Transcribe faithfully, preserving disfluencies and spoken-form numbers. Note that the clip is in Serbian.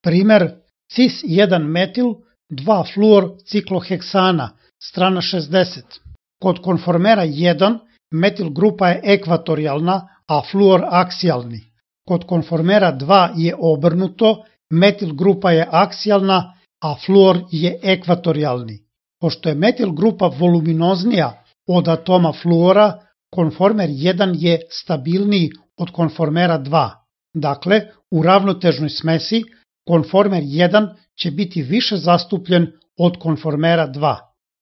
Primer cis jedan metil dva fluor cikloheksana, strana šezdeset. Kod konformera jedan metil grupa je ekvatorijalna, a fluor aksijalni. Kod konformera dva je obrnuto, metil grupa je aksijalna, a fluor je ekvatorijalni. Pošto je metil grupa voluminoznija od atoma fluora, konformer jedan je stabilniji od konformera dva. Dakle, u ravnotežnoj smesi konformer jedan će biti više zastupljen od konformera dva.